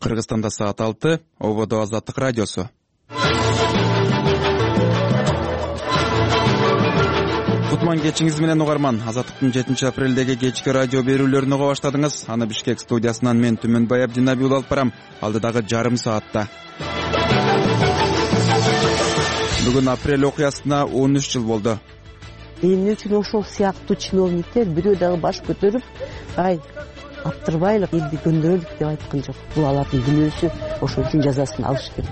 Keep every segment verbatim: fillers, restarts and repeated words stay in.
Кыргызстанда саат алты, Ободо Азаттык радиосу. Кутман кечиңиз менен угарман. Азаттыктын жетинчи апрелдеги кечки радио берүүлөрүн уга баштадыңыз. Аны Бишкек студиясынан мен Түмөнбай Абдинабиул алып барам. Алдыдагы жарым саатта. Бүгүн апрель окуясына он үч жыл болду. Эмне үчүн ошол сыяктуу чиновниктер бирөө дагы баш көтөрүп, ай аптырбайлык, элди көндүрөлүк деп айткан жок. Бул алардын күнөөсү, ошол үчүн жазасын алыш керек.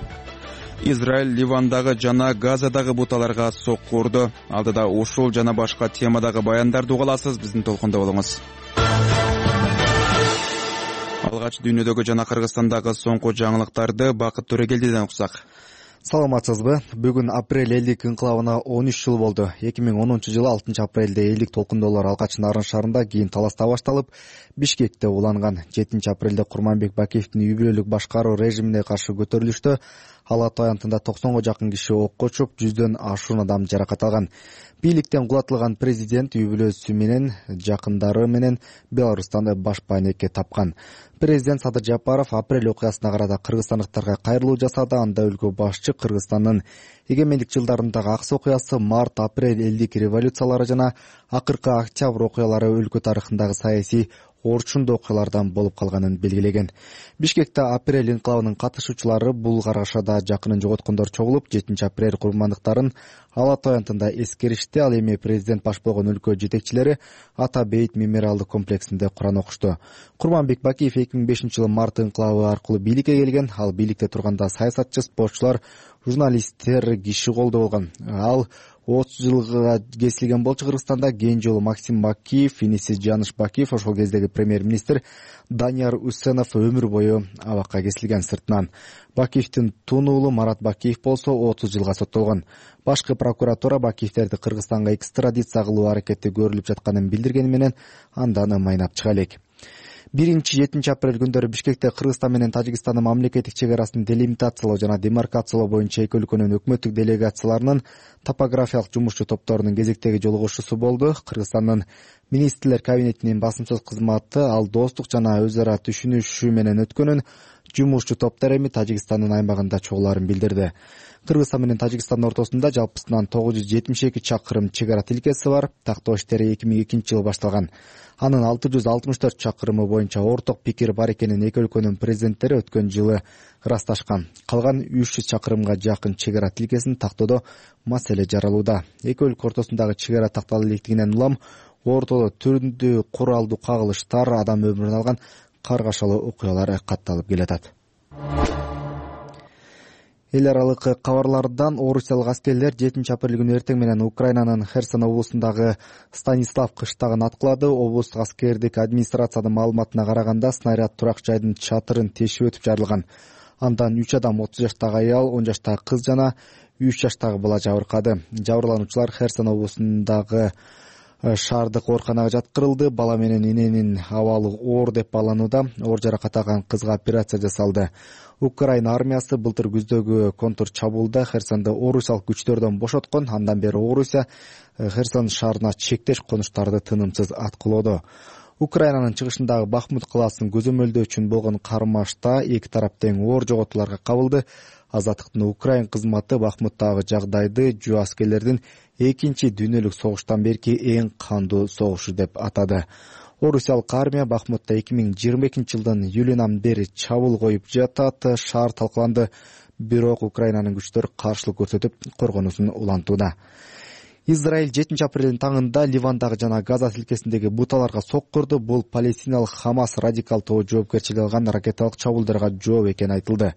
Израиль Ливандагы жана Газадагы буталарга сокку урду. Алдыда ушул жана башка темадагы баяндарды угаласыз, биздин толкунда болуңуз. Алгач дүйнөдөгү жана Кыргызстандагы соңку жаңылыктарды Бакыт Төрөгелдиден уксак. Саламатсызбы? Бүгүн апрель элдик инкылабына он үч жыл болду. эки миң онунчу жылы алтынчы апрелде элдик толкундоолор Алгач Нарын шаарында, кийин Таласта башталып, Бишкекте уланган. жетинчи апрелде Курманбек Бакиевдин үй бүлөлүк башкаруу режимине каршы көтөрүлүштө Ала Той аянтында токсонго жакын киши окко учуп, жүздөн ашуун адам жаракат алган. Бийликтен кулатылган президент үй бүлөсү менен жакындары менен Беларустан баш пайнекке тапкан. Президент Садыр Жапаров апрель окуясына карата кыргызстандыктарга кайрылуу жасады. Анда өлкө башчы Кыргызстандын эгемендик жылдарындагы аксы окуясы, март, апрель элдик революциялары жана акыркы октябрь окуялары өлкө тарыхындагы саясий орчундуу окуялардан болуп калганын белгилеген. Бишкекте апрель инкылабынын катышуучулары бул карашада жакынын жоготкондор чогулуп, жетинчи апрель курмандыктарын Ала Той аянтында эскеришти. Ал эми президент баш болгон өлкө жетекчилери Ата Бейит мемориалдык комплексинде Куран окушту. Курманбек Бакиев эки миң бешинчи жылы март инкылабы аркылуу бийликке келген. Ал бийликте турганда саясатчы, спортчулар, журналисттер киши колдоо болгон. Ал отуз жылга кесилген болчу Кыргызстанда. Кийинки жолу Максим Бакиев, иниси Жаныш Бакиев, ошол кездеги премьер-министр Данияр Үсенов өмүр бою абакка кесилген. Сыртынан Бакиевдин тун уулу Марат Бакиев болсо отуз жылга соттолгон. Башкы прокуратура Бакиевтерди Кыргызстанга экстрадиция кылуу аракети көрүлүп жатканын билдиргени менен андан майнап чыга элек. биринчи жетинчи апрель күндөрү Бишкекте Кыргызстан менен Тажикстандын мамлекеттик чек арасын делимитациялоо жана демаркациялоо боюнча эки өлкөнүн өкмөттүк делегацияларынын топографиялык жумушчу топторунун кезектеги жолугушуусу болду. Кыргызстандын министрлер кабинетинин басымсыз кызматы ал достук жана өз ара түшүнүшүү менен өткөнүн, жумушчу топтор эми Тажикстандын аймагында чогулаарын билдирди. Кыргызстан менен Тажикстандын ортосунда жалпысынан тогуз жүз жетимиш эки чакырым чек ара тилкеси бар. Тактоо иштери эки миң экинчи жылы башталган. Анын алты жүз алтымыш төрт чакырымы боюнча орток пикир бар экенин эки өлкөнүн президенттери өткөн жылы ырасташкан. Калган үч жүз чакырымга жакын чек ара тилкесин тактоодо маселе жаралууда. Эки өлкө ортосундагы чек ара тактала электигинен улам ортодо түрдүү куралдуу кагылыштар, адам өмүрүн алган каргашалуу окуялар катталып келатат. Эл аралык кабарлардан Орусиялык аскерлер жетинчи апрель күнү эртең менен Украинанын Херсон облусундагы Станислав кыштагын аткылады. Облустук аскердик администрациянын маалыматына караганда, снаряд турак жайдын чатырын тешип өтүп жарылган. Андан үч адам, отуз жаштагы аял, он жаштагы кыз жана үч жаштагы бала жабыркады. Жабырлануучулар Херсон облусундагы шаардык ооруканага жаткырылды. Бала менен эненин абалы оор деп бааланууда. Оор жаракат алган кызга операция жасалды. Украина армиясы былтыр күздөгү контур чабуулда Херсонду орусиялык күчтөрдөн бошоткон. Андан бери Орусия Херсон шаарына чектеш конуштарды тынымсыз аткылоодо. Украинанын чыгышындагы Бахмут калаасын көзөмөлдөө үчүн болгон кармашта эки тарап тең оор жоготууларга кабылды. Азаттыктын Украин кызматы Бахмуттагы жагдайды жөө аскерлердин экинчи дүйнөлүк согуштан берки эң кандуу согушу деп атады. Орусиялык армия Бахмутта эки миң жыйырма экинчи жылдын июлунан бери чабуул коюп жатат. Шаар талкаланды, бирок Украинанын күчтөрү каршылык көрсөтүп коргонуусун улантууда. Израиль жетинчи апрелдин таңында Ливандагы жана Газа тилкесиндеги буталарга сокку урду. Бул палестиналык Хамас радикал тобу жоопкерчилик алган ракеталык чабуулдарга жооп экени айтылды.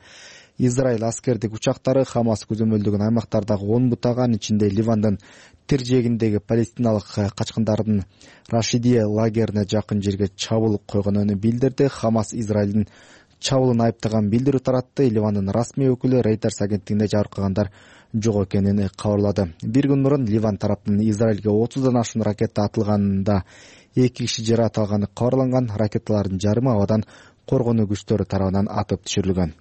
Израиль аскердик учактары Хамас көзөмөлдөгөн аймактардагы он бутага, анын ичинде Ливандын тиржегиндеги палестиналык качкындардын Рашидия лагерине жакын жерге чабуул койгонун билдирди. Хамас Израилдин чабуулун айыптаган билдирүү таратты. Ливандын расмий өкүлү Reuters агенттигинде жабыркагандар жок экенин кабарлады. Бир күн мурун Ливан тараптын Израилге отуздан ашуун ракета атылганында эки киши жаракат алганы кабарланган. Ракеталардын жарымы абадан коргонуу күчтөрү тарабынан атып түшүрүлгөн.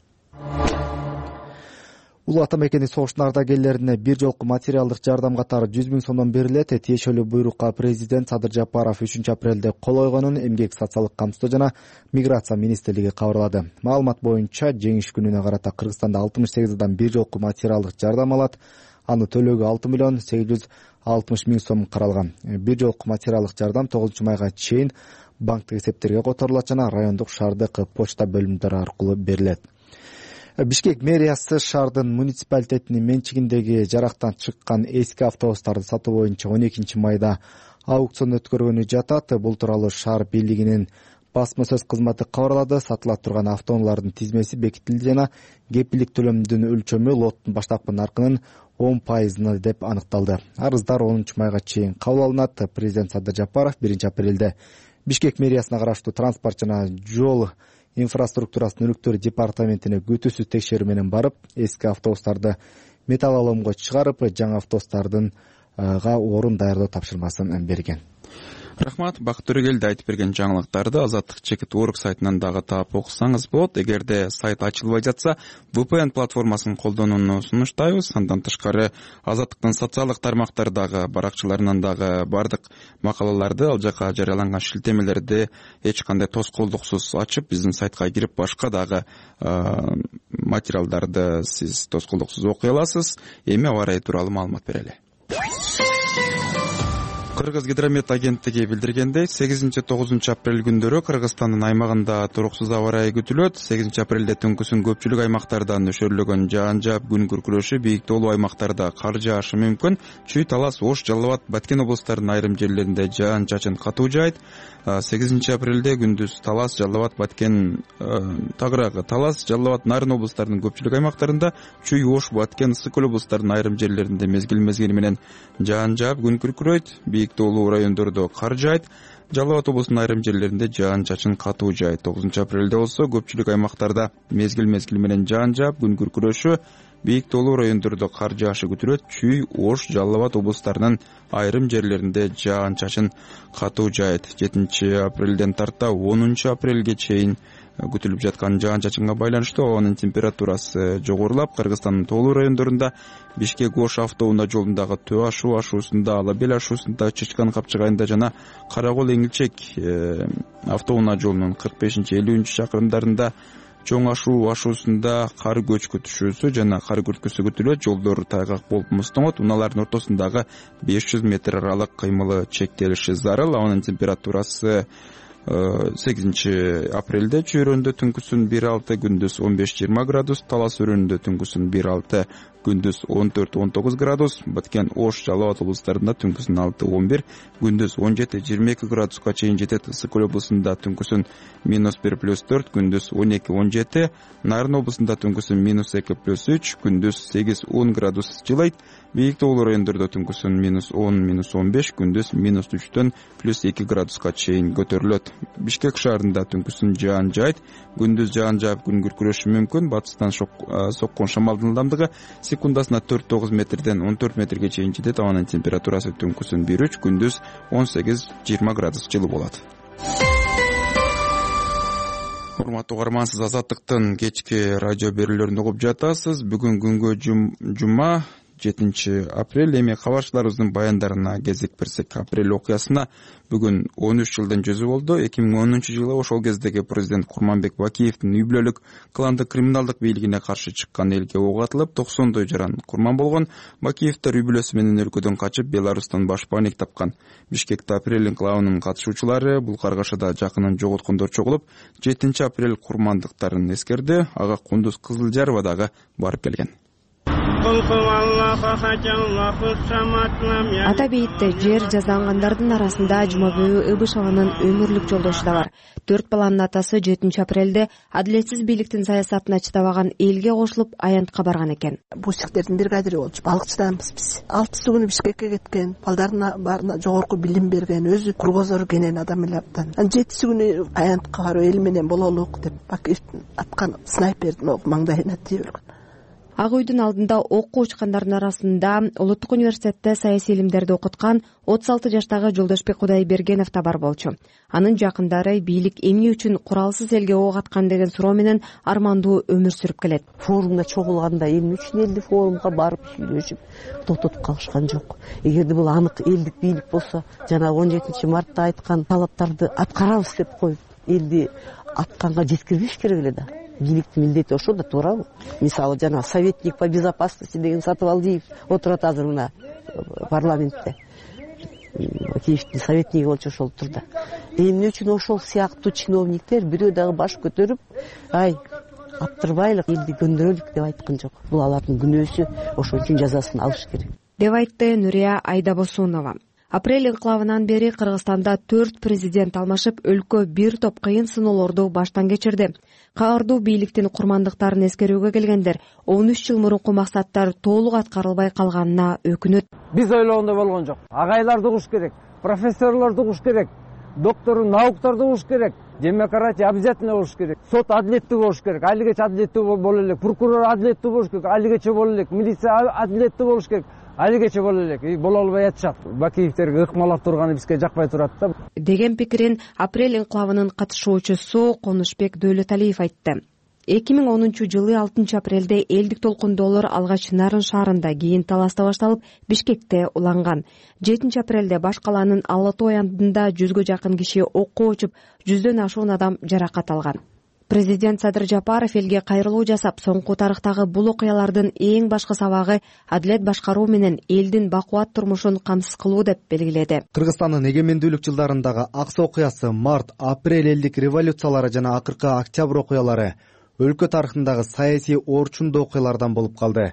Улуу ата мекени согуштун ардагерлерине бир жолку материалдык жардам катары жүз миң сомдон берилет. Тиешелүү буйрукка президент Садыр Жапаров үчүнчү апрелде кол койгонун Эмгек социалдык камсыздоо жана миграция министрлиги кабарлады. Маалымат боюнча жеңиш күнүнө карата Кыргызстанда алтымыш сегиз адам бир жолку материалдык жардам алат. Аны төлөөгө алты миллион сегиз жүз алтымыш миң сом каралган. Бир жолку материалдык жардам тогузунчу майга чейин банктык эсептерге которулат жана райондук шаардык почта бөлүмдөрү аркылуу берилет. Бишкек мэриясы шаардын муниципалитетинин менчигиндеги жарактан чыккан эски автобустарды сатуу боюнча он экинчи майда аукцион өткөргөнү жатат. Бул тууралуу шаар бийлигинин басма сөз кызматы кабарлады. Сатыла турган автоунаалардын тизмеси бекитилди жана кепилдик төлөмдүн өлчөмү лоттун баштапкы наркынын он пайызына деп аныкталды. Арыздар онунчу майга чейин кабыл алынат. Президент Садыр Жапаров биринчи апрелде Бишкек мэриясына караштуу транспорт жана жол инфраструктурасынын өнүктүү департаментине күтүүсүз текшерүү менен барып, эски автобустарды металлоломго чыгарып, жаңы автобустардынга орун даярдоо тапшырмасын берген. Рахмат. Бакыт Төрөгелди айтып берген жаңылыктарды Азаттык чекит орг сайтынан дагы таап окусаңыз болот. Эгерде сайт ачылбай жатса, ви пи эн платформасын колдонууну сунуштайбыз. Андан тышкары Азаттыктын социалдык тармактардагы баракчаларынан дагы бардык макалаларды, ал жака жарыяланган шилтемелерди эч кандай тоскоолдуксуз ачып, биздин сайтка кирип башка дагы материалдарды сиз тоскоолдуксуз окуй аласыз. Эми аба ырайы тууралуу маалымат берели. Кыргыз гидромет агенттиги билдиргендей, сегизинчи тогузунчу апрель күндөрү Кыргызстандын аймагында туруксуз аба ырайы күтүлөт. сегизинчи апрелде түнкүсүн көпчүлүк аймактарда нөшөрлөгөн жаан жаап, күн күркүрөшү, бийиктүүлүү аймактарда кар жаашы мүмкүн. Чүй, Талас, Ош, Жалал абад, Баткен облустарынын айрым жерлеринде жаан чачын катуу жаайт. сегизинчи апрелде күндүз Талас, Жалал абад, Баткен, тагыраагы Талас, Жалал абад, Нарын облустарынын көпчүлүк аймактарында, Чүй, Ош, Баткен, Ысык көл облустарынын айрым жерлеринде мезгил-мезгили менен жаан жаап, күн күркүрөйт. Бийиктүүлүү райондордо кар жаайт. Жалал абад облусунун айрым жерлеринде жаан чачын катуу жаайт. тогузунчу апрелде болсо көпчүлүк аймактарда мезгил-мезгили менен жаан жаап, күн күркүрөшү, бийиктүүлүү райондордо кар жаашы күтүлөт. Чүй, Ош, Жалал абад облустарынын айрым жерлеринде жаан чачын катуу жаайт. жетинчи апрелден тарта онунчу апрелге чейин күтүлүп жаткан жаан чачынга байланыштуу абанын температурасы жогорулап, Кыргызстандын тоолуу райондорунда Бишкек Ош автоунаа жолундагы Төө ашуу ашуусунда, Ала бел ашуусунда, Чычкан капчыгайында жана Каракол Эңилчек автоунаа жолунун кырк бешинчи элүүнчү чакырымдарында, Чоң ашуу ашуусунда кар көч күтүшүүсү жана кар күрткүсү күтүлөт. Жолдор тайгак болуп муздоңот. Унаалардын ортосундагы беш жүз метр аралык кыймылы чектелиши зарыл. Абанын температурасы сегизинчи апрелде Чүй өрөөнүндө түнкүсүн бир алты, күндүз он беш жыйырма градус, Талас өрөөнүндө түнкүсүн бир алты, күндүз он төрт он тогуз градус, Баткен, Ош, Жалал абад облустарында түнкүсүн алты он бир, күндүз он жети жыйырма эки градуска чейин жетет. Ысык көл облусунда түнкүсүн минус бир плюс төрт, күндүз он эки он жети, Нарын облусунда түнкүсүн минус эки плюс үч, күндүз сегиз он градус жылыйт. Бийиктүүлүү райондордо түнкүсүн минус он минус он беш, күндүз минус үчтөн плюс эки градуска чейин көтөрүлөт. Бишкек шаарында түнкүсүн жаан жаайт, күндүз жаан жаап, күн күркүрөшү мүмкүн. Батыстан соккон шамалдын ылдамдыгы секундасына төрт тогуз метрден он төрт метрге чейин жетет. Абанын температурасы түнкүсүн бир үч, күндүз он сегиз жыйырма градус жылы болот. Урматтуу угарман, сиз Азаттыктын кечки радио берүүлөрүн угуп жатасыз. Бүгүн күнгө жума жетинчи апрель. Эми кабарчыларыбыздын баяндарына кезек берсек, апрель окуясына бүгүн он үч жылдын жүзү болду. эки миң онунчу жылы ошол кездеги президент Курманбек Бакиевдин үй бүлөлүк кландык криминалдык бийлигине каршы чыккан элге ок атылып, токсондой жаран курман болгон. Бакиевдер үй бүлөсү менен өлкөдөн качып, Беларустан баш бааник тапкан. Бишкекте апрель инкылабынын катышуучулары бул каргашада жакынын жоготкондор чогулуп, жетинчи апрель курмандыктарын эскерди. Ага Кундуз Кызылжарова дагы барып келген. Ата бейитте жер жаздангандардын арасында Жумабүй Ыбышеванын өмүрлүк жолдошу да бар. Төрт баланын атасы жетинчи апрелде адилетсиз бийликтин саясатына чыдабаган элге кошулуп аянтка барган экен. Бусиктердин бригадири болчу, балыкчыданбыз биз. алтысы күнү Бишкекке кеткен, балдарына баарына жогорку билим берген, өзү кургозор кенен адам эле абдан. Анан жетиси күнү аянтка барып эл менен бололук деп Бакиевдин аткан снайпердин оку маңдайына тийип өлгөн. Ак үйдүн алдында окко учкандардын арасында Улуттук университетте саясий илимдерди окуткан отуз алты жаштагы Жолдошбек Кудайбергенов да бар болчу. Анын жакындары бийлик эмне үчүн куралсыз элге ок аткан деген суроо менен армандуу өмүр сүрүп келет. Форумда чогулганда эмне үчүн элди форумга барып сүйлөшүп токтотуп калышкан жок. Эгерде бул анык элдик бийлик болсо, жанагы он жетинчи мартта айткан талаптарды аткарабыз деп коюп, элди атканга жеткирбеш керек эле да. Бийликтин милдети ошо да, туурабы? Мисалы жана советник по безопасности деген Сатыбалдиев отурат азыр мына парламентте. Киевдин советниги болчу ошол турда. Эмне үчүн ошол сыяктуу чиновниктер бирөө дагы баш көтөрүп, ай аптырбайлык, элди көндүрөлүк деп айткан жок. Бул алардын күнөөсү, ошон үчүн жазасын алыш керек деп айтты Нурия Айдабосунова. Апрель инкылабынан бери Кыргызстанда төрт президент алмашып, өлкө бир топ кыйын сыноолорду баштан кечирди. Каардуу бийликтин курмандыктарын эскерүүгө келгендер он үч жыл мурунку максаттар толук аткарылбай калганына өкүнөт. Биз ойлогондой болгон жок. Агайларды угуш керек, профессорлорду угуш керек, доктору науктарды угуш керек, демократия обязательно болуш керек, сот адилеттүү болуш керек, айлыгече адилеттүү боло элек, прокурор адилеттүү болуш керек, айлыгече боло элек, милиция адилеттүү болуш керек, айлыгече боло элек. Боло албай атышат. Бакиевтерге ыкмалап турганы бизге жакпай турат да деген пикирин Апрель инкылабынын катышуучусу Конушбек Дөөлөталиев айтты. эки миң онунчу жылы алтынчы апрелде элдик толкундоолор алгач Нарын шаарында, кийин Таласта башталып, Бишкекте уланган. жетинчи апрелде баш калаанын Ала Тоо айылында жүзгө жакын киши окко учуп, жүздөн ашуун адам жаракат алган. Президент Садыр Жапаров элге кайрылуу жасап, соңку тарыхтагы бул окуялардын эң башкы сабагы адилет башкаруу менен элдин бакубат турмушун камсыз кылуу деп белгиледи. Кыргызстандын эгемендүүлүк жылдарындагы Аксы окуясы, Март, Апрель элдик революциялары жана акыркы Октябрь окуялары өлкө тарыхындагы саясий орчундуу окуялардан болуп калды.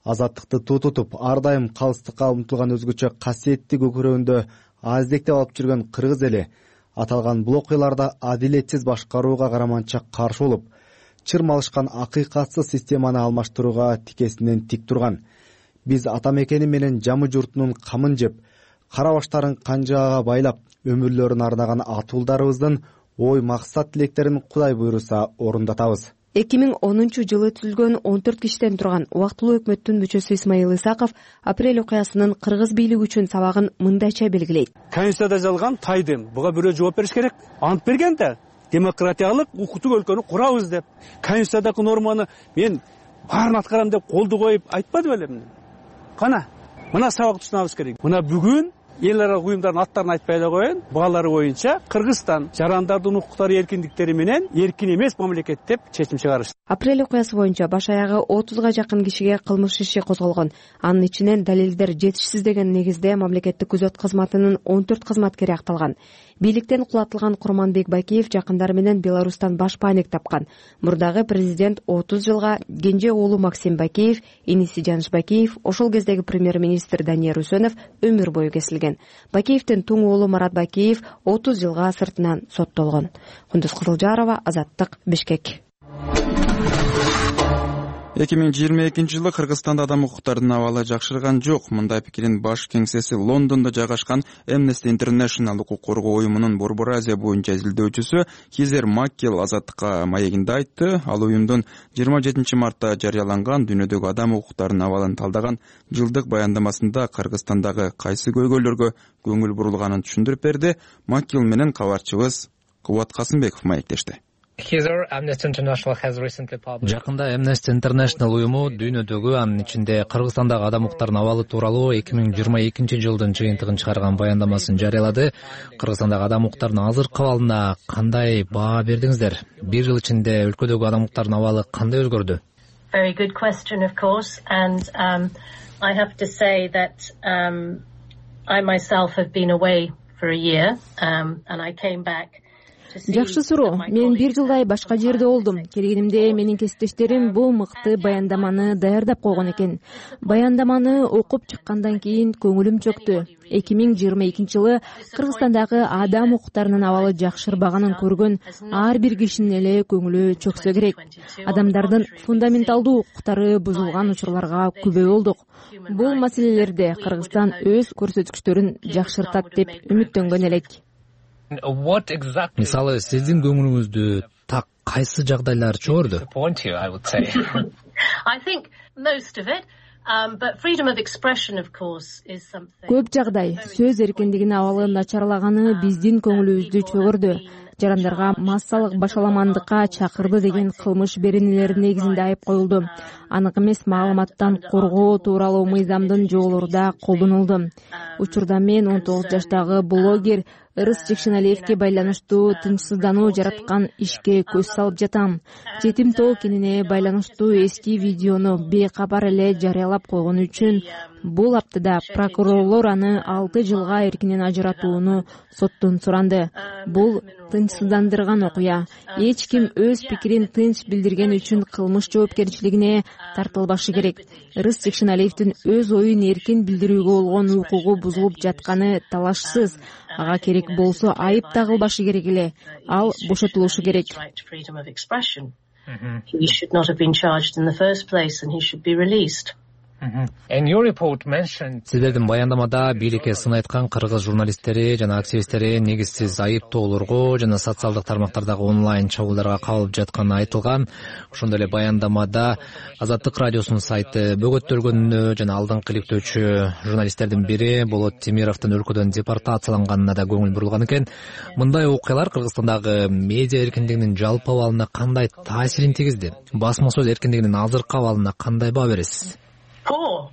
Азаттыкты туу тутуп, ар дайым калыстыкка умтулган өзгөчө касиеттүү көкүрөгүндө аздектеп алып жүргөн кыргыз эли аталган бул окуяларда адилетсиз башкарууга караманча каршы болуп, чырмалышкан акыйкатсыз системаны алмаштырууга тикесинен тик турган. Биз ата мекени менен жамы журтунун камын жеп, кара баштарын канжаага байлап, өмүрлөрүн арнаган атуулдарыбыздын ой максат тилектерин Кудай буйруса орундатабыз. эки миң онунчу жылы түзүлгөн он төрт кишиден турган убактылуу өкмөттүн мүчөсү Исмаил Исаков Апрель окуясынын кыргыз бийлиги үчүн сабагын мындайча белгилейт. Конституцияда жазылган тайдым, буга бирөө жооп бериш керек. Ант берген да, демократиялык, укуктук өлкөнү курабыз деп. Конституциядагы норманы мен баарын аткарам деп колду коюп айтпады белем. Кана, мына сабакты түшүнүбүз керек. Мына бүгүн эл аралык уюмдардын аттарын айтпай эле коеюн. Бугалары боюнча Кыргызстан жарандардын укуктары, эркиндиктери менен эркин эмес мамлекет деп чечим чыгарышты. Апрель окуясы боюнча баш аягы отузга жакын кишиге кылмыш иши козголгон. Анын ичинен далилдер жетишсиз деген негизде мамлекеттик күзөт кызматынын он төрт кызматкери акталган. Бийликтен кулатылган Курманбек Бакиев жакындары менен Беларустан баш паник тапкан. Мурдагы президент отуз жылга, кенже уулу Максим Бакиев, иниси Жаныш Бакиев, ошол кездеги премьер-министр Данияр Үсөнов өмүр бою кесилген. Бакиевдин туң уулу Марат Бакиев отуз жылга сыртынан соттолгон. Кундуз Кызылжарова, Азаттык, Бишкек. эки миң жыйырма экинчи жылы Кыргызстанда адам укуктарынын абалы жакшырган жок. Мындай пикирин баш кеңсеси Лондондо жайгашкан Amnesty International укук коргоо уюмунун Борбор Азия боюнча изилдөөчүсү Хизер Маккел Азаттыкка маегинде айтты. Ал уюмдун жыйырма жетинчи мартта жарыяланган дүйнөдөгү адам укуктарынын абалын талдаган жылдык баяндамасында Кыргызстандагы кайсы көйгөйлөргө көңүл бурулганын түшүндүрүп берди. Маккел менен кабарчыбыз Кубат Касымбеков маектешти. Жакында Amnesty International уюму дүйнөдөгү, анын ичинде Кыргызстандагы адам укуктарынын абалы тууралуу эки миң жыйырма экинчи жылдын жыйынтыгын чыгарган баяндамасын жарыялады. Кыргызстандагы адам укуктарынын азыркы абалына кандай баа бердиңиздер? Бир жыл ичинде өлкөдөгү адам укуктарынын абалы кандай өзгөрдү? Very good question, of course, and um, I have to say that um, I myself have been away for a year, um, and I came back. Жакшы суроо. Мен бир жылдай башка жерде болдум. Келгенимде менин кесиптештерим бул мыкты баяндаманы даярдап койгон экен. Баяндаманы окуп чыккандан кийин көңүлүм чөктү. эки миң жыйырма экинчи жылы Кыргызстандагы адам укуктарынын абалы жакшырбаганын көргөн ар бир кишинин эле көңүлү чөксө керек. Адамдардын фундаменталдуу укуктары бузулган учурларга күбө болдук. Бул маселелерде Кыргызстан өз көрсөткүчтөрүн жакшыртат деп үмүттөнгөн элек. Мисалы, сиздин көңүлүңүздү так кайсы жагдайлар чогорду? I think most of it. Um, but freedom of expression, of course, is something. Көп жагдай сөз эркиндигинин абалы начарлаганы биздин көңүлүбүздү чөгөрдү. Жарандарга массалык башаламандыкка чакырды деген кылмыш беренелери негизинде айып коюлду. Анык эмес маалыматтан коргоо тууралуу мыйзамдын жоболору да колдонулду. Учурда мен он тогуз жаштагы блогер Ырыс Жекшеналиевге байланыштуу тынчсыздануу жараткан ишке көз салып жатам. Жетим тоо кенине байланыштуу эски видеону бейкабар эле жарыялап койгону үчүн бул аптада прокурорлор аны алты жылга эркинен ажыратууну соттон суранды. Бул тынчсыздандырган окуя. Эч ким өз пикирин тынч билдирген үчүн кылмыш жоопкерчилигине тартылбашы керек. Ырыс Жекшеналиевдин өз оюн эркин билдирүүгө болгон укугу бузулуп жатканы талашсыз. Ага керек болсо айып тагылбашы керек эле. Ал бошотулушу керек. He should not have been charged in the first place and he should be released. Сиздердин баяндамада бийликке сын айткан кыргыз журналисттери жана активисттери негизсиз айыптоолорго жана социалдык тармактардагы онлайн чабуулдарга кабылып жатканы айтылган. Ошондой эле баяндамада Азаттык радиосунун сайты бөгөттөлгөнүнө жана алдыңкы иликтөөчү журналисттердин бири Болот Темировдун өлкөдөн депортацияланганына да көңүл бурулган экен. Мындай окуялар Кыргызстандагы медиа эркиндигинин жалпы абалына кандай таасирин тийгизди? Басма сөз эркиндигинин азыркы абалына кандай баа бересиз? Poor,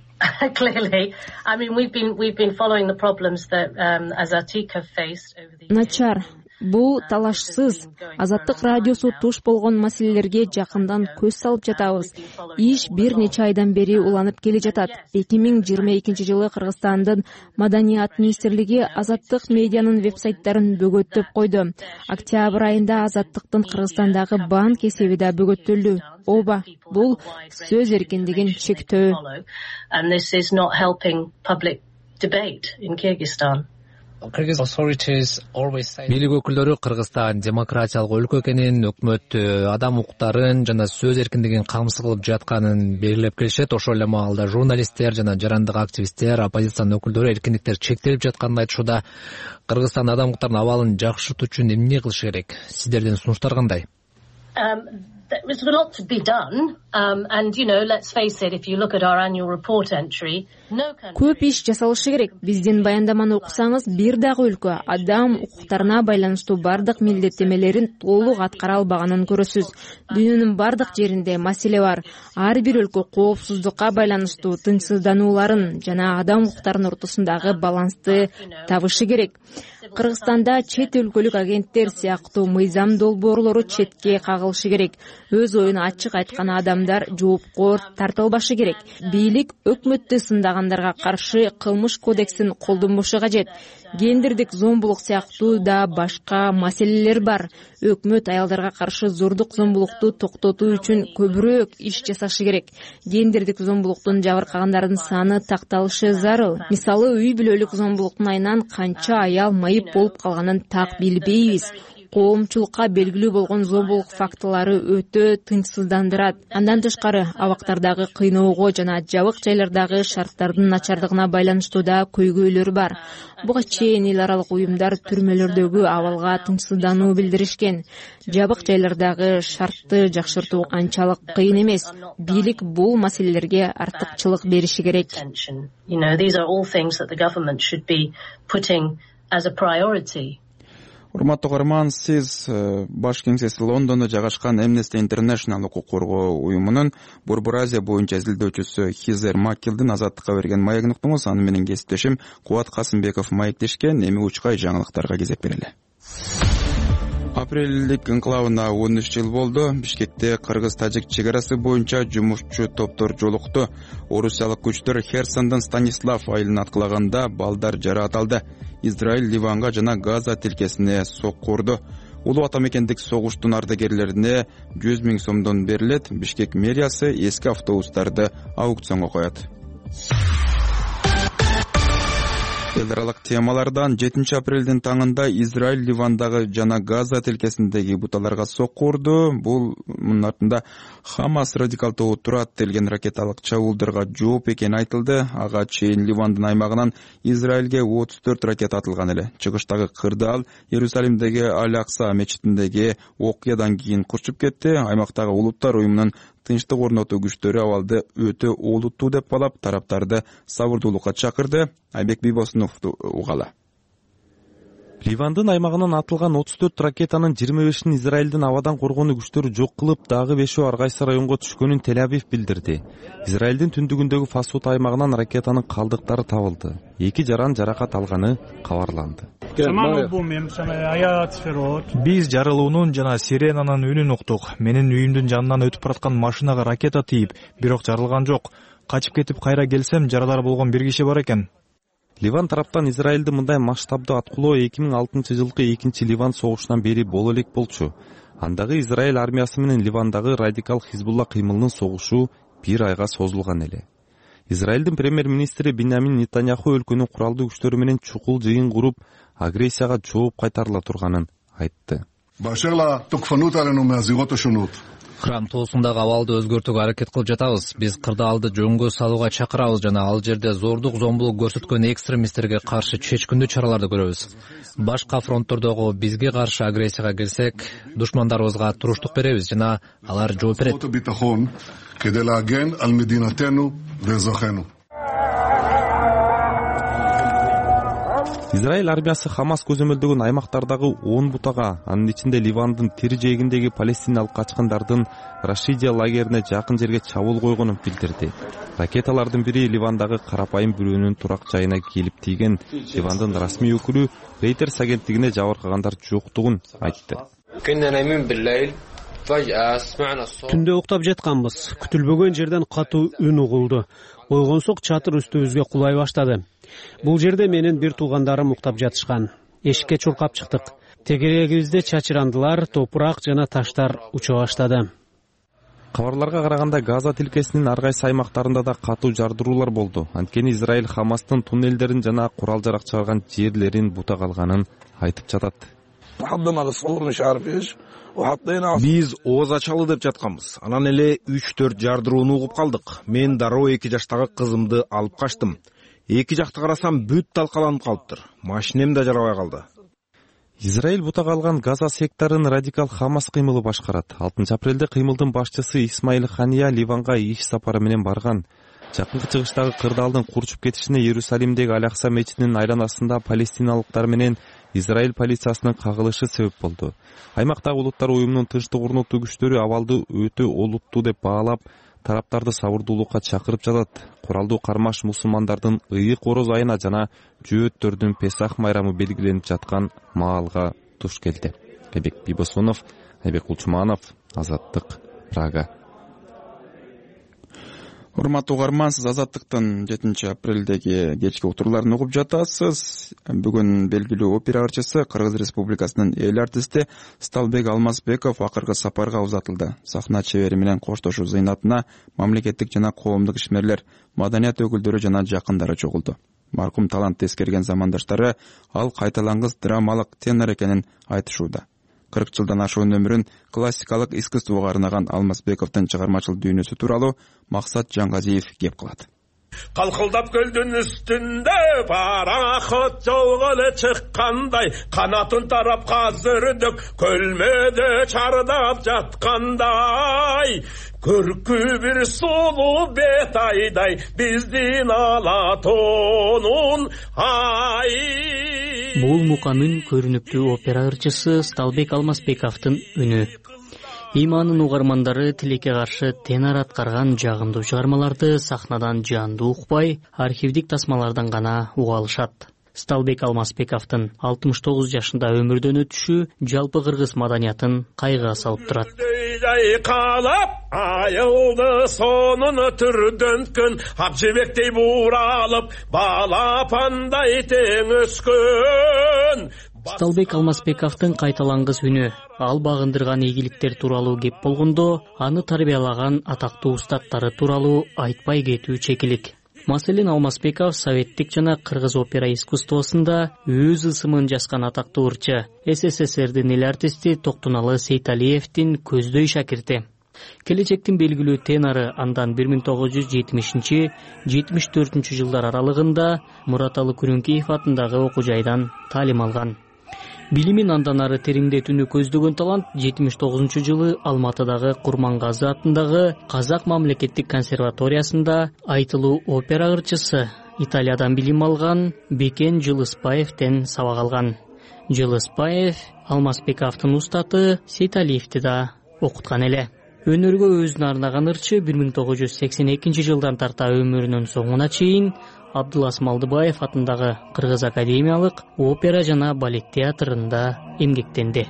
clearly. I mean, we've been we've been following the problems that um, Azatik have faced over the years. Начар. Бул талашсыз. Азаттык радиосу туш болгон маселелерге жакындан көз салып жатабыз. Иш бир нече айдан бери уланып келе жатат. эки миң жыйырма экинчи жылы Кыргызстандын Маданият министрлиги Азаттык медианын вебсайттарын бөгөттөп койду. Октябрь айында Азаттыктын Кыргызстандагы банк эсеби да бөгөттөлдү. Оба, бул сөз эркиндигин чектөө. And this is not helping public debate in Kyrgyzstan. Бийлик өкүлдөрү Кыргызстан демократиялык өлкө экенин, өкмөт адам укуктарын жана сөз эркиндигин камсыз кылып жатканын белгилеп келишет. Ошол эле маалда журналисттер жана жарандык активисттер, оппозициянын өкүлдөрү эркиндиктер чектелип жатканын айтышууда. Кыргызстан адам укуктарынын абалын жакшыртуу үчүн эмне кылыш керек? Сиздердин сунуштар кандай? There's a lot to be done, um, and you know, let's face it. If you look at our annual report entry, no country. Көп иш жасалышы керек. Биздин баяндаманы окусаңыз, бир дагы өлкө адам укуктарына байланыштуу бардык милдеттемелерин толук аткара албаганын көрөсүз. Дүйнөнүн бардык жеринде маселе бар. Ар бир өлкө коопсуздукка байланыштуу тынчсызданууларын жана адам укуктарынын ортосундагы балансты табышы керек. Кыргызстанда чет өлкөлүк агенттер сыяктуу мыйзам долбоорлору четке кагылышы керек. Өз оюн ачык айткан адамдар жоопкор тартылбашы керек. Бийлик өкмөттү сындагандарга каршы кылмыш кодексин колдонбошу кажет. Гендердик зомбулук сыяктуу да башка маселелер бар. Өкмөт аялдарга каршы зордук зомбулукту токтотуу үчүн көбүрөөк иш жасашы керек. Гендердик зомбулуктун жабыркагандардын саны такталышы зарыл. Мисалы, үй бүлөлүк зомбулуктун айынан канча аял майып болуп калганын так билбейбиз. Коомчулукка белгилүү болгон зомбулук фактылары өтө тынчсыздандырат. Андан тышкары, абактардагы кыйноого жана жабык жайлардагы шарттардын начардыгына байланыштуу да көйгөйлөр бар. Буга чейин эл аралык уюмдар түрмөлөрдөгү абалга тынчсыздануу билдиришкен. Жабык жайлардагы шартты жакшыртуу анчалык кыйын эмес. Бийлик бул маселелерге артыкчылык бериши керек. You know, these are all things that the government should be putting as a priority. Урматтуу көрөрман, сиз баш кеңсеси Лондондо жайгашкан Amnesty International укук коргоо уюмунун Борбор Азия боюнча изилдөөчүсү Хизер Маккилдин Азаттыкка берген маегин уктуңуз. Аны менен кесиптешим Кубат Касымбеков маектешкен. Эми учкай жаңылыктарга кезек берели. Апрелдик инклавына он үч жыл болду. Бишкекте кыргыз-тажик чек арасы боюнча жумушчу топтор жолукту. Орусиялык күчтөр Херсондон Станислав айылын аткылаганда балдар жараат алды. Израиль Ливанга жана Газа тилкесине сокку урду. Улуу ата мекендик согуштун ардагерлерине жүз миң сомдон берилет. Бишкек мэриясы эски автобустарды аукционго коет. Эл аралык темалардан жетинчи апрелдин таңында Израиль Ливандагы жана Газа тилкесиндеги буталарга сокку урду. Бул мунун артында Хамас радикалдуу турат делген ракеталык чабуулдарга жооп экени айтылды. Ага чейин Ливандын аймагынан Израилге отуз төрт ракета атылган эле. Чыгыштагы кырдаал Иерусалимдеги Аль-Акса мечитиндеги окуядан кийин курчуп кетти. Аймактагы улуттар уюмунун тынчтык орнотуу күчтөрү абалды өтө олуттуу деп балап тараптарды сабырдуулукка чакырды. Айбек Бибосуновду угала. Ливандын аймагынан атылган отуз төрт ракетанын жыйырма бешин Израилдин абадан коргонуу күчтөрү жок кылып, дагы бешөө ар кайсы районго түшкөнүн Тель-Авив билдирди. Израилдин түндүгүндөгү Фасут аймагынан ракетанын калдыктары табылды. Эки жаран жаракат алганы кабарланды. Биз жарылуунун жана сиренанын үнүн уктук. Менин үйүмдүн жанынан өтүп бараткан машинага ракета тийип, бирок жарылган жок. Качып кетип кайра келсем, жаралар болгон бир киши бар экен. Ливан тараптан Израилди мындай масштабдуу аткылоо эки миң алтынчы жылкы экинчи Ливан согушунан бери боло элек болчу. Андагы Израиль армиясы менен Ливандагы радикал Хизбулла кыймылынын согушу бир айга созулган эле. Израилдин премьер-министри Биньямин Нетаньяху өлкөнүн куралдуу күчтөрү менен чукул жыйын куруп, агрессияга жооп кайтарыла турганын айтты. Храм тоосундагы абалды өзгөртүүгө аракет кылып жатабыз. Биз кырдаалды жөнгө салууга чакырабыз жана ал жерде зордук зомбулук көрсөткөн экстремисттерге каршы чечкиндүү чараларды көрөбүз. Башка фронттордогу бизге каршы агрессияга келсек, душмандарыбызга туруштук беребиз жана алар жооп берет. Израиль армиясы Хамас көзөмөлдөгөн аймактардагы он бутага, анын ичинде Ливандын тир жээгиндеги палестиналык качкындардын Рашидия лагерине жакын жерге чабуул койгонун билдирди. Ракеталардын бири Ливандагы карапайым бирөөнүн турак жайына келип тийген. Ливандын расмий өкүлү Reuters агенттигине жабыркагандар жоктугун айтты. Түндө уктап жатканбыз. Күтүлбөгөн жерден катуу үн угулду. Ойгонсок чатыр үстүбүзгө кулай баштады. Бул жерде менин бир туугандарым уктап жатышкан. Эшикке чуркап чыктык. Тегерегибизде чачырандылар, топурак жана таштар уча баштады. Кабарларга караганда Газа тилкесинин ар кайсы аймактарында да катуу жардыруулар болду. Анткени Израиль Хамастын туннелдерин жана курал жарак чыгарган жерлерин бутак алганын айтып жатат. Биз ооз ачалы деп жатканбыз. Анан эле үч төрт жардырууну угуп калдык. Мен дароо эки жаштагы кызымды алып качтым. Эки жакты карасам бүт талкаланып калыптыр. Машинем да жарабай калды. Израиль бутак алган Газа секторун радикал Хамас кыймылы башкарат. алтынчы апрелде кыймылдын башчысы Исмаил Хания Ливанга иш сапары менен барган. Жакынкы чыгыштагы кырдаалдын курчуп кетишине Иерусалимдеги Алякса мечитинин айланасында палестиналыктар менен Израиль полициясынын кагылышы себеп болду. Аймактагы улуттар уюмунун тынчтык орнотуу күчтөрү абалды өтө олуттуу деп баалап, тараптарды сабырдуулукка чакырып жатат. Куралдуу кармаш мусулмандардын ыйык ороз айына жана жөөттөрдүн Песах майрамы белгиленип жаткан маалга туш келди. Айбек Бибосунов, Айбек Кулчуманов, Азаттык, Прага. Урматтуу угарман, сиз Азаттыктын жетинчи апрелдеги кечки утурларын угуп жатасыз. Бүгүн белгилүү опера ырчысы, Кыргыз Республикасынын эл артисти Сталбек Алмазбеков акыркы сапарга узатылды. Сахна чебери менен коштошуу зыйнатына мамлекеттик жана коомдук ишмерлер, маданият өкүлдөрү жана жакындары чогулду. Маркум талантты эскерген замандаштары ал кайталангыс драмалык тенор экенин айтышууда. кырк жылдан ашуун өмүрүн классикалык искусствого арнаган Алмазбековдун чыгармачыл дүйнөсү тууралуу Максат Жаңгазиев кеп кылат. Калкылдап көлдүн үстүндө пароход жолго эле чыккандай, канатын тарап казырдык көлмөдө чардап жаткандай, көркү бир сулуу бет айдай биздин алатонун ай. Бул муканын көрүнүктүү опера ырчысы Сталбек Алмазбековдун үнү. Иманын угармандары тилекке каршы тенор аткарган жагымдуу чыгармаларды сахнадан жандуу укпай, архивдик тасмалардан гана уга алышат. Сталбек Алмазбековдун алтымыш тогуз жашында өмүрдөн өтүшү жалпы кыргыз маданиятын кайгыга салып турат. Калап айылды сонун түрдөнткөн, ак жебектей бууралып балапандай тең өскөн. Сталбек Алмазбековдун кайталангыс үнү, ал багындырган ийгиликтер тууралуу кеп болгондо, аны тарбиялаган атактуу устаттары тууралуу айтпай кетүү чекилик. Маселен, Алмазбеков советтик жана кыргыз опера искусствосунда өз ысымын жазган атактуу ырчы, СССРдин эл артисти Токтуналы Сейталиевдин көздөй шакирти. Келечектин белгилүү тенору андан бир миң тогуз жүз жетимишинчи — жетимиш төртүнчү жылдар аралыгында Мураталы Күрүнкеев атындагы окуу жайдан таалим алган. Билимин андан ары тереңдетүүнү көздөгөн талант жетимиш тогузунчу жылы Алматыдагы Курмангазы атындагы Казак мамлекеттик консерваториясында айтылуу опера ырчысы, Италиядан билим алган Бекен Жылыспаевден сабак алган. Жылыспаев Алмазбековдун устаты Сейталиевди да окуткан эле. Өнөргө өзүн арнаган ырчы бир миң тогуз жүз сексен экинчи жылдан тарта өмүрүнүн соңуна чейин Абдулас Малдыбаев атындагы Кыргыз академиялык опера жана балет театрында эмгектенди.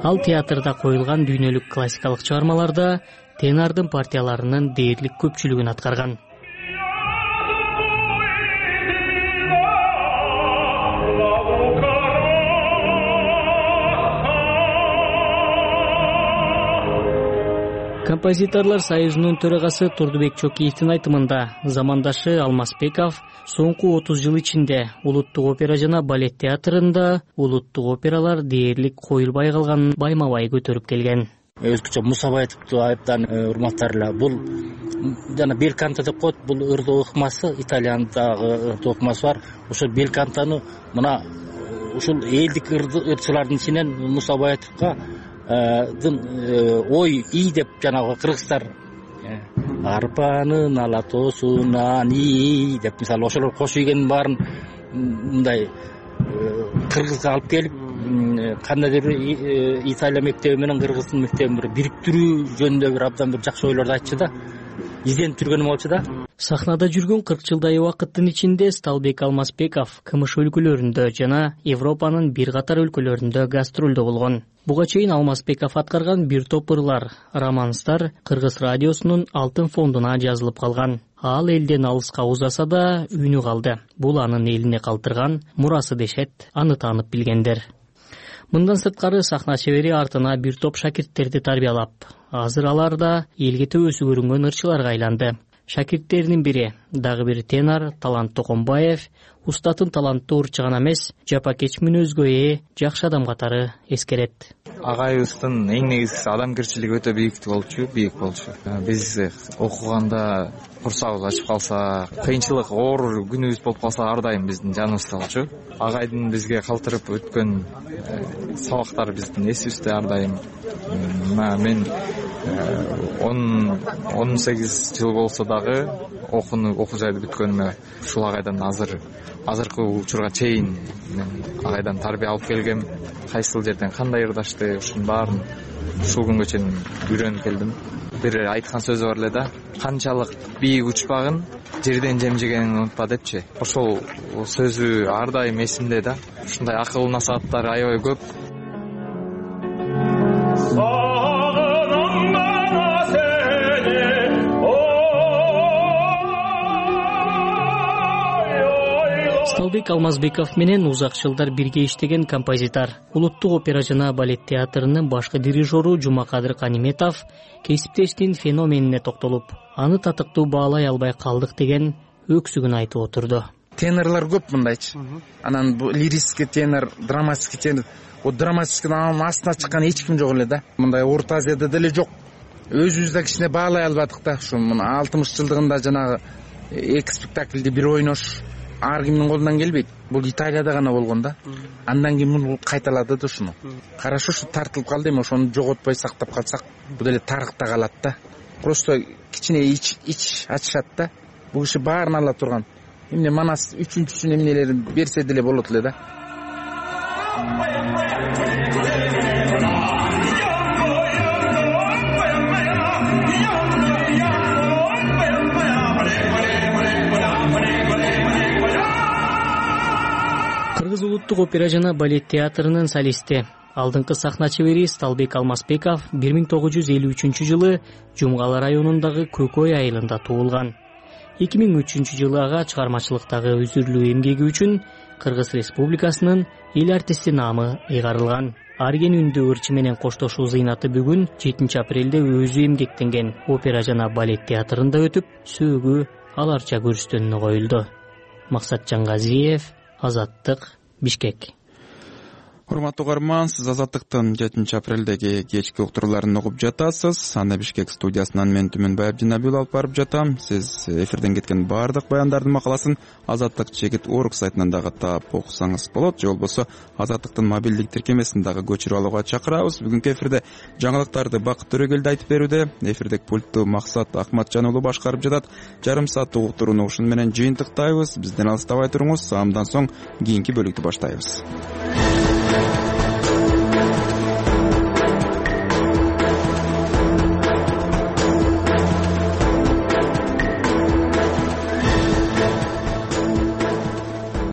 Ал театрда коюлган дүйнөлүк классикалык чыгармаларда тенордун партияларынын дээрлик көпчүлүгүн аткарган. Композиторлор союзунун төрагасы Турдубек Чокиевдин айтымында, замандашы Алмазбеков соңку отуз жыл ичинде улуттук опера жана балет театрында улуттук опералар дээрлик коюлбай калганын байма-бай көтөрүп келген. Өзгөчө Мусабаевди айыптан урматтарлар. Бул жана белканто деп коет, бул ырдоо ыкмасы, Италиядагы ырдоо ыкмасы бар. Ошол белкантону мына ушул элдик ырчылардын ичинен Мусабаевга ой ий деп жанагы кыргыздар арпанын алатосунан ий деп мисалы ошолор кош ийгенин баарын мындай кыргызга алып келип кандайдыр бир Италия мектеби менен кыргыздын мектебин бир бириктирүү жөнүндө бир абдан бир жакшы ойлорду айтчу да, изденип жүргөнүм болчу да. Сахнада жүргөн кырк жылдай убакыттын ичинде Сталбек Алмазбеков КМШ өлкөлөрүндө жана Европанын бир катар өлкөлөрүндө гастролдо болгон. Буга чейин Алмазбеков аткарган бир топ ырлар, романстар Кыргыз радиосунун алтын фондуна жазылып калган. Ал элден алыска узаса да үнү калды. Бул анын элине калтырган мурасы дешет аны таанып билгендер. Мындан сырткары сахна чебери артына бир топ шакирттерди тарбиялап, азыр алар да элге төбөсү көрүнгөн ырчыларга айланды. Шакирттеринин бири дагы бир тенор Талант Токомбаев, устатын таланттуу ырчы гана эмес, жапакеч мүнөзгө ээ жакшы адам катары эскерет. Агайыбыздын эң негизгиси адамгерчилиги өтө бийик болчу, бийик болчу. Биз окуганда курсагыбыз ачып калса, кыйынчылык, оор күнүбүз болуп калса, ар дайым биздин жаныбызда болчу. Агайдын бизге калтырып өткөн сабактары биздин эсибизде ар дайым. Мен он сегиз жыл болсо дагы окууну окуу жайды бүткөнүмө ушул агайдан азыр азыркы учурга чейин мен агайдан тарбия алып келгем. Кайсыл жерден кандай ырдашты, ушунун баарын ушул күнгө чейин үйрөнүп келдим. Бир айткан сөзү бар эле да, канчалык бийик учпагын, жерден жем жегенин унутпа депчи. Ошол сөзү ар дайым эсимде да. Ушундай акыл насааттар аябай көп. Сталбек Алмазбеков менен узак жылдар бирге иштеген композитор, улуттук опера жана балет театрынын башкы дирижеру Жумакадыр Каниметов кесиптештин феноменине токтолуп, аны татыктуу баалай албай калдык деген өксүгүн айтып отурду. Тенорлор көп мындайчы. Анан бул лирический тенор, драматический тенор, о драматическийдин астына чыккан эч ким жок эле да. Мындай Орто Азияда деле жок. Өзүбүз да кичине баалай албадык да. Ушу мына алтымыш жылдыгында жанагы эки спектакльди бир ойнош ар кимдин колунан келбейт. Бул Италияда гана болгон да. Андан кийин муну кайталады да ушуну. Карашы ушу тартылып калды, эми ошону жоготпой сактап калсак, бул деле тарыхта калат да. Просто кичине ич ич ачышат да. Бул киши баарын ала турган. Эмне манас үчүнчүсүн эмнелерин берсе деле болот эле да. Кыргыз улуттук опера жана балет театрынын солисти, алдыңкы сахна чебери Сталбек Алмазбеков бир миң тогуз жүз элүү үчүнчү жылы Жумгалы районундагы Көкөй айылында туулган. эки миң үчүнчү жылы ага чыгармачылыктагы үзүрлүү эмгеги үчүн Кыргыз Республикасынын эл артисти наамы ыйгарылган. Арген үндүү ырчы менен коштошуу зыйнаты бүгүн жетинчи апрелде өзү эмгектенген опера жана балет театрында өтүп, сөөгү аларча көрүстөнүнө коюлду. Максатжан Газиев, Азаттык, Бишкек. урматтуу угарман, сиз Азаттыктын жетинчи апрелдеги кечки уктурууларын угуп жатасыз. Аны Бишкек студиясынан мен Түмөнбай Абдинабиул алып барып жатам. Сиз эфирден кеткен баардык баяндардын макаласын Азаттык чегит орг сайтынан дагы таап окусаңыз болот, же болбосо Азаттыктын мобилдик тиркемесин дагы көчүрүп алууга чакырабыз. Бүгүнкү эфирде жаңылыктарды Бакыт Төрөгелди айтып берүүдө, эфирдик пультту Максат Акматжан уулу башкарып жатат. Жарым сааттык уктурууну ушуну менен жыйынтыктайбыз. Бизден алыстабай туруңуз. Саамдан соң кийинки бөлүктү баштайбыз.